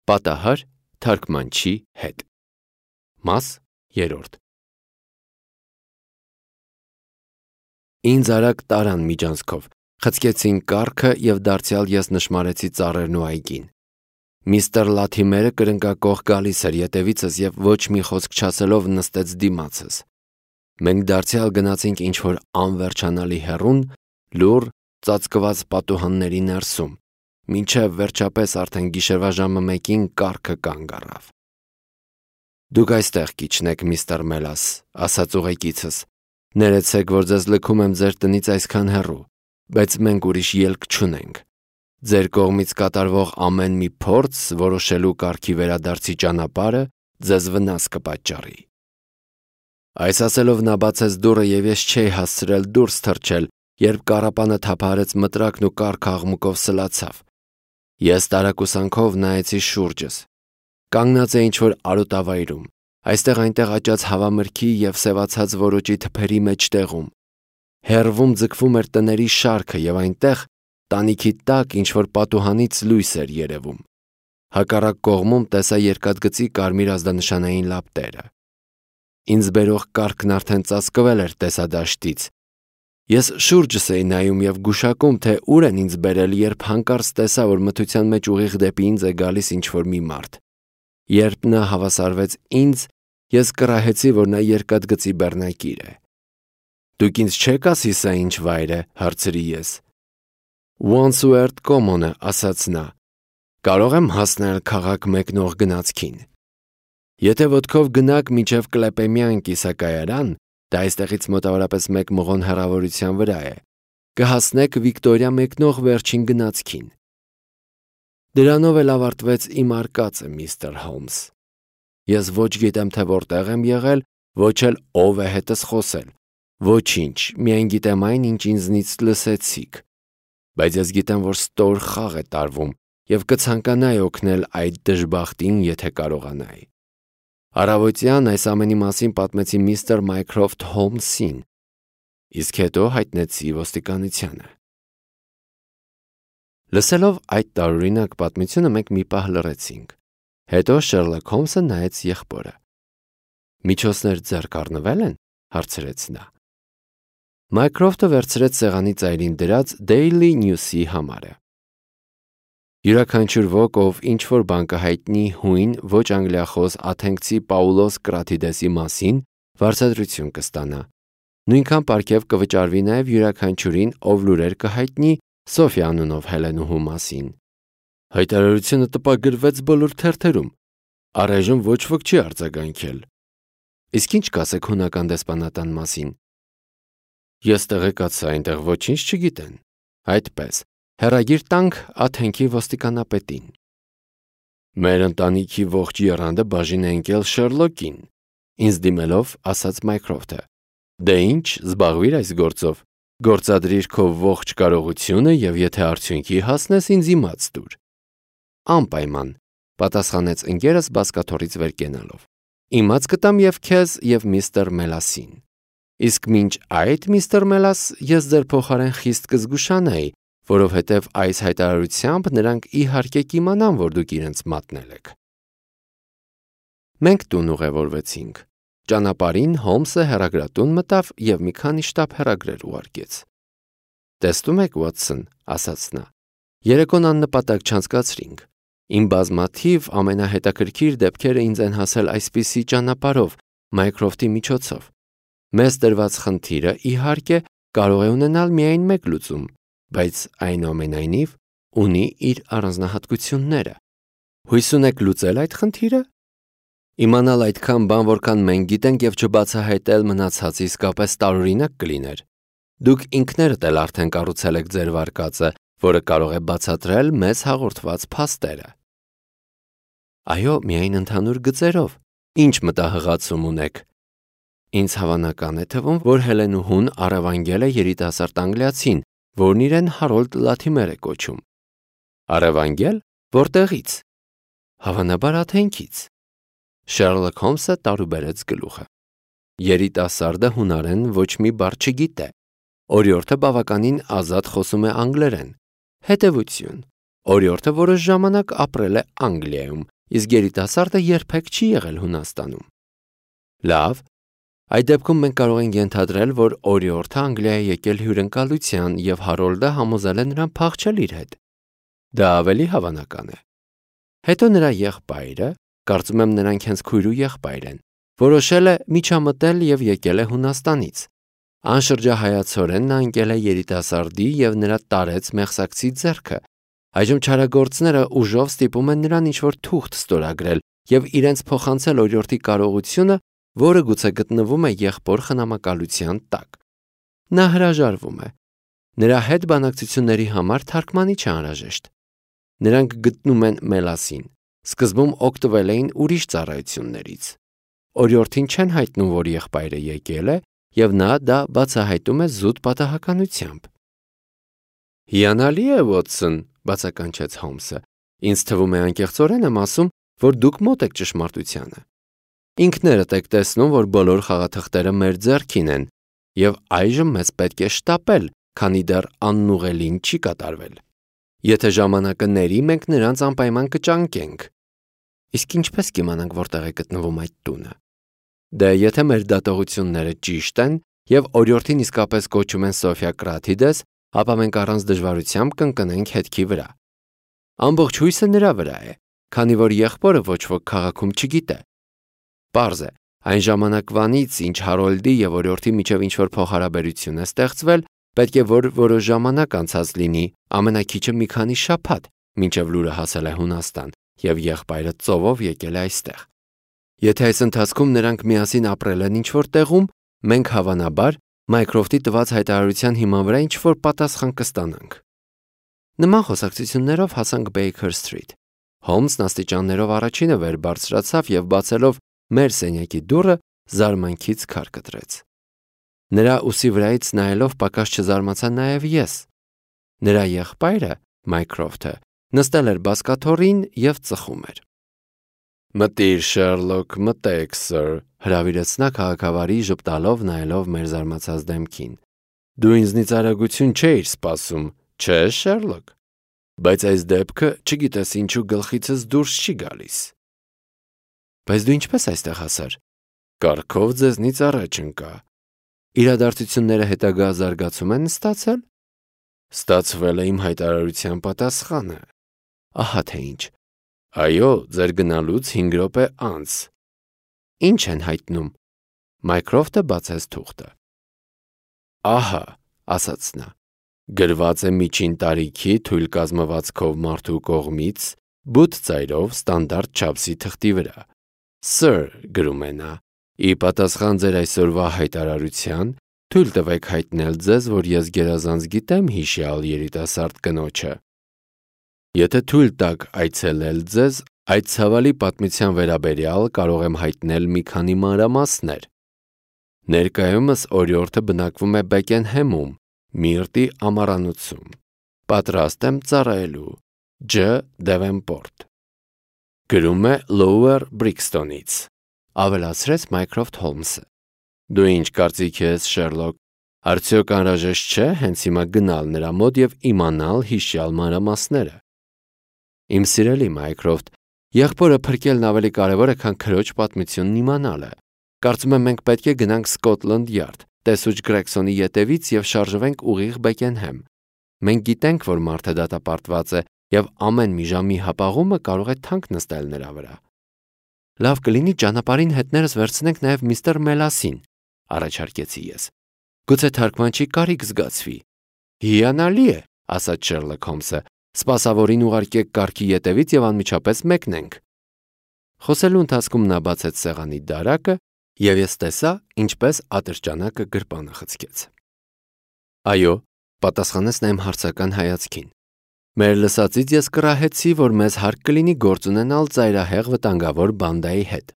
Պատահար թարգմանչի հետ։ Մաս 3 Ինձ արագ տարան միջանցքով, խցկեցին կառքը և դարձյալ ես նշմարեցի ծառերն ու այգին։ Միստր Լաթիմերը կրնկակոխ գալիս էր ետևիցս և ոչ մի խոսք չասելով նստեց դիմացս։ Մենք դարձյալ գնացինք ինչ-որ անվերջանալի հեռուն, լուռ, ծածկված պատուհանների ներսում, մինչև վերջապես արդեն գիշերվա ժամը 1-ին կառքը կանգ առավ։ «Դուք այստեղ կիջնեք, միստր Մելաս», ասաց ուղեկիցս։ «Ներեցեք, որ ձեզ լքում եմ ձեր տնից այսքան հեռու, բայց մենք ուրիշ ելք չունենք։ Ձեր կողմից կատարվող ամեն մի փորձ որոշելու կարգի վերադարձի ճանապարհը ձեզ վնաս կպատճառի»։ Այս ասելով նա բացեց դուռը և ես չէի հասցրել դուրս թռչել, երբ կառապանը թափահարեց մտրակն ու կառքը աղմուկով սլացավ։ Ես տարակուսանքով նայեցի շուրջս։ Կանգնած էի ինչ-որ արոտավայրում, այստեղ-այնտեղ աճած հավամրգի և սևացած որոճի թփերի մեջտեղում։ Հեռվում ձգվում էր տների շարքը և այնտեղ, տանիքի տակ, ինչ-որ պատուհանից լույս էր երևում։ Հակառակ կողմում տեսա երկաթգծի կարմիր ազդանշանային լապտերը։ Ինձ բերող կառքն արդեն ծածկվել էր տեսադաշտից։ Ես շուրջս էի նայում և գուշակում, թե ուր են ինձ բերել, երբ հանկարծ տեսա, որ մթության մեջ ուղիղ դեպի ինձ է գալիս ինչ-որ մի մարդ։ Երբ նա հավասարվեց ինձ, ես կռահեցի, որ նա երկաթգծի բեռնակիր է։ «Դուք ինձ չեք ասի սա ինչ վայր է», հարցրի ես։ «Wandsworth Common-ը», ասաց նա։ «Կարող եմ հասնել քաղաք մեկնող գնացքին։ Եթե ոտքով գնաք մինչև Կլեպեմյան կիսակայարան, դա այստեղից մոտավորապես 1 մղոն հեռավորության վրա է, կհասնեք Վիկտորիա մեկնող վերջին գնացքին»։ Դրանով էլ ավարտվեց իմ արկածը, միստր Հոլմս։ Ես ոչ գիտեմ, թե որտեղ եմ եղել, ոչ էլ ով է հետս խոսել։ Ոչինչ, միայն գիտեմ այն, ինչ ինձնից լսեցիք։ Բայց ես գիտեմ, որ ստոր խաղ է տարվում և կցանկանայի օգնել այդ դժբախտին, եթե կարողանայի։ Առավոտյան այս ամենի մասին պատմեցի միստր Մայքրոֆթ Հոլմսին, իսկ հետո հայտնեցի ոստիկանությանը։ Լսելով այդ տարօրինակ պատմությունը մենք մի պահ լռեցինք։ Հետո Շերլոք Հոլմսը նայեց եղբորը։ «Միջոցներ ձեռք առնվե՞լ են», հարցրեց նա։ Մայքրոֆթը վերցրեց սեղանի ծայրին դրած Daily News-ի համարը։ Յուրաքանչյուր ոք, ով ինչ-որ բան կհայտնի հույն ոչ անգլիախոս աթենքցի Պաուլոս Կրաթիդեսի մասին, վարձատրություն կստանա։ Նույնքան պարգև կվճարվի նաև յուրաքանչյուրին, ով լուրեր կհայտնի Սոֆյա անունով հելենուհու մասին։ Հայտարարությունը տպագրվեց բոլոր թերթերում։ Առայժմ ոչ ոք չի արձագանքել։ Իսկ ինչ կասեք հունական դեսպանատան մասին։ Ես տեղեկացա, այնտեղ ոչինչ չգիտեն։ Այդպես, հեռագիր տանք Աթենքի ոստիկանապետին։ Մեր ընտանիքի ողջ եռանդը բաժին է ընկել Շերլոկին, ինձ դիմելով ասաց Մայքրոֆթը։ Դե ինչ, զբաղվիր այս գործով, գործադրիր քո ողջ կարողությունը և եթե արդյունքի հասնես, ինձ իմաց տուր։ Անպայման, պատասխանեց ընկերս բազկաթոռից վեր կենալով։ Իմաց կտամ և քեզ և միստր Մելասին։ Իսկ մինչ այդ, միստր Մելաս, ես ձեր փոխարեն խիստ կզգուշանայի, որովհետև այս հայտարարությամբ նրանք իհարկե կիմանան, որ դուք իրենց մատնել եք։ Մենք տուն ուղևորվեցինք։ Ճանապարհին Հոլմսը հեռագրատուն մտավ և մի քանի շտապ հեռագրեր ուղարկեց։ Տեսնում եք, Ուոտսոն, ասաց նա, երեկոն աննպատակ չանցկացրինք։ Իմ բազմաթիվ ամենահետաքրքիր դեպքերը ինձ են հասել այսպիսի ճանապարհով, Մայքրոֆթի միջոցով։ Մեզ տրված խնդիրը, իհարկե, կարող է ունենալ միայն մեկ լուծում, բայց այնուամենայնիվ ունի իր առանձնահատկությունները։ Հույս ունեք լուծել այդ խնդիրը։ Իմանալ այդքան բան, որքան մենք գիտենք և չբացահայտել մնացածը իսկապես տարօրինակ կլիներ։ Դուք ինքներդ էլ արդեն կառուցել եք ձեր վարկածը, որը կարող է բացատրել մեզ հաղորդված փաստերը։ Այո, միայն ընդհանուր գծերով։ Ինչ մտահղացում ունեք։ Ինձ հավանական է թվում, որ հելենուհուն առևանգել է երիտասարդ անգլիացին, որն իրեն Հարոլդ Լաթիմեր է կոչում։ Առևանգել։ Որտեղից։ Հավանաբար Աթենքից։ Շերլոք Հոլմսը տարուբերեց գլուխը։ Երիտասարդը հունարեն ոչ մի բառ չգիտե։ Օրիորդը բավականին ազատ խոսում է անգլերեն։ Հետևություն. օրիորդը որոշ ժամանակ ապրել է Անգլիայում, իսկ երիտասարդը երբեք չի եղել Հունաստանում։ Լավ, այդ դեպքում մենք կարող ենք ենթադրել, որ օրիորդը Անգլիա է եկել հյուրընկալության և Հարոլդը համոզել է նրան փախչել իր հետ։ Դա ավելի հավանական է։ Հետո նրա եղբայրը, կարծում եմ նրանք հենց քույր ու եղբայր են, որոշել է միջամտել և եկել է Հունաստանից։ Անշրջահայացորեն նա ընկել է երիտասարդի և նրա տարեց մեղսակցի ձեռքը։ Այժմ չարագործները ուժով ստիպում են նրան ինչ-որ թուղթ ստորագրել և իրենց փոխանցել օրիորդի կարողությունը, որը գուցե գտնվում է եղբոր խնամակալության տակ։ Նա հրաժարվում է։ Նրա հետ բանակցությունների համար թարգմանիչ է անհրաժեշտ։ Նրանք գտնում են Մելասին։ Սկզբում օգտվել էին ուրիշ ծառայություններից։ Օրիորդին չեն հայտնում, որ եղբայրը եկել է, և նա դա բացահայտում է զուտ պատահականությամբ։ Հիանալի է, Վոտսոն, բացականչեց Հոլմսը։ Ինձ թվում է անկեղծորեն եմ ասում, որ դուք մոտ եք ճշմարտությանը։ Ինքներդ եք տեսնում, որ բոլոր խաղաթղթերը մեր ձեռքին են, և այժմ մեզ պետք է շտապել, քանի դեռ անուղելին չի կատարվել։ Եթե ժամանակը ների, մենք նրանց անպայման կճանկենք։ Իսկ ինչպես կիմանանք, որտեղ է գտնվում այդ տունը։ Դե եթե մեր դատողությունները ճիշտ են, և օրիորդին իսկապես կոչում են Սոֆիա Կրաթիդես, ապա մենք առանց դժվարությամբ կընկնենք հետքի վրա։ Ամբողջ հույսը նրա վրա է, քանի որ եղբորը ոչ ոք քաղաքում չգիտե։ Պարզ է, այն ժամանակվանից, ինչ Հարոլդի և օրիորդի միջև ինչ-որ փոխհարաբերություն է ստեղծվել, պետք է որ որոշ ժամանակ անցած լինի, ամենաքիչը մի քանի շաբաթ, մինչև լուրը հասել է Հունաստան, և եղբայրը ծովով եկել է այստեղ։ Եթե այս ընթացքում նրանք միասին ապրել են ինչ-որ տեղում, մենք հավանաբար Մայքրոֆտի տված հայտարարության հիման վրա ինչ-որ պատասխան կստանանք։ Նման խոսակցություններով հասանք Բեյքեր Սթրիթ։ Հոլմսն աստիճաններով առաջինը վեր բարձրացավ և բացելով մեր սենյակի դուռը զարմանքից քար կտրեց։ Նրա ուսի վրայից նայելով պակաս չզարմացա նաև ես։ Նրա եղբայրը, Մայքրոֆթը, նստել էր բազկաթոռին և ծխում էր։ Մտիր, Շերլոկ, մտեք, սըր, հրավիրեց նա քաղաքավարի ժպտալով նայելով մեր զարմացած դեմքին։ Դու ինձնից արագություն չէիր սպասում, չէ՞, Շերլոկ։ Բայց այս դեպքը, չգիտես ինչու գլխիցս դուրս չի գալիս։ Բայց դու ինչպես այստեղ հասար։ Կարգով ձեզնից առաջ ընկա։ Իրադարձությունները հետագա զարգացում են ստացել։ Ստացվել է իմ հայտարարության պատասխանը։ Ահա թե ինչ։ Այո, ձեր գնալուց 5 րոպե անց։ Ինչ են հայտնում։ Մայքրոֆտը բացեց թուղթը։ Ահա, ասաց նա, գրված է միջին տարիքի թույլ կազմվածքով մարդու կողմից, բութ ծայրով ստանդարտ չափսի թղթի վրա։ Սըր, գրում է նա, ի պատասխան ձեր այսօրվա հայտարարության, թույլ տվեք հայտնել ձեզ, որ ես գերազանց գիտեմ հիշյալ երիտասարդ կնոջը։ Եթե թույլ տաք այցելել ձեզ, այդ ցավալի պատմության վերաբերյալ կարող եմ հայտնել մի քանի մանրամասներ։ Ներկայումս օրիորդը բնակվում է Բեկենհեմում, Միրտի ամառանոցում։ Պատրաստ եմ ծառայելու։ Ջ. Դևենպորտ։ Գրում է Lower Brixton-ից, ավելացրեց Մայքրոֆթ Հոլմսը։ Դու ինչ կարծիք ես, Շերլոկ, արդյոք անհրաժեշտ չէ հենց հիմա գնալ նրա մոտ և իմանալ հիշյալ մանրամասները։ Իմ սիրելի Մայքրոֆթ, եղբորը փրկելն ավելի կարևոր է, քան քրոջ պատմությունն իմանալը։ Կարծում եմ մենք պետք է գնանք Սկոթլանդ Յարդ, տեսուչ Գրեգսոնի ետևից և շարժվենք ուղիղ Բեկենհեմ։ Մենք գիտենք, որ մարդը դատապարտված է, և ամեն մի ժամի հապաղումը կարող է թանկ նստել նրա վրա։ Լավ կլինի ճանապարհին հետներս վերցնենք նաև միստր Մելասին, առաջարկեցի ես։ Գուցե թարգմանչի կարիք զգացվի։ Հիանալի է, ասաց Շերլոկ Հոլմսը, սպասավորին ուղարկեք կառքի ետևից և անմիջապես մեկնենք։ Խոսելու ընթացքում նա բացեց սեղանի դարակը, և ես տեսա, ինչպես ատրճանակը գրպանը խցկեց։ Այո, պատասխանեց նա իմ հարցական հայացքին։ Մեր լսածից ես կռահեցի, որ մեզ հարկ կլինի գործ ունենալ ծայրահեղ վտանգավոր բանդայի հետ։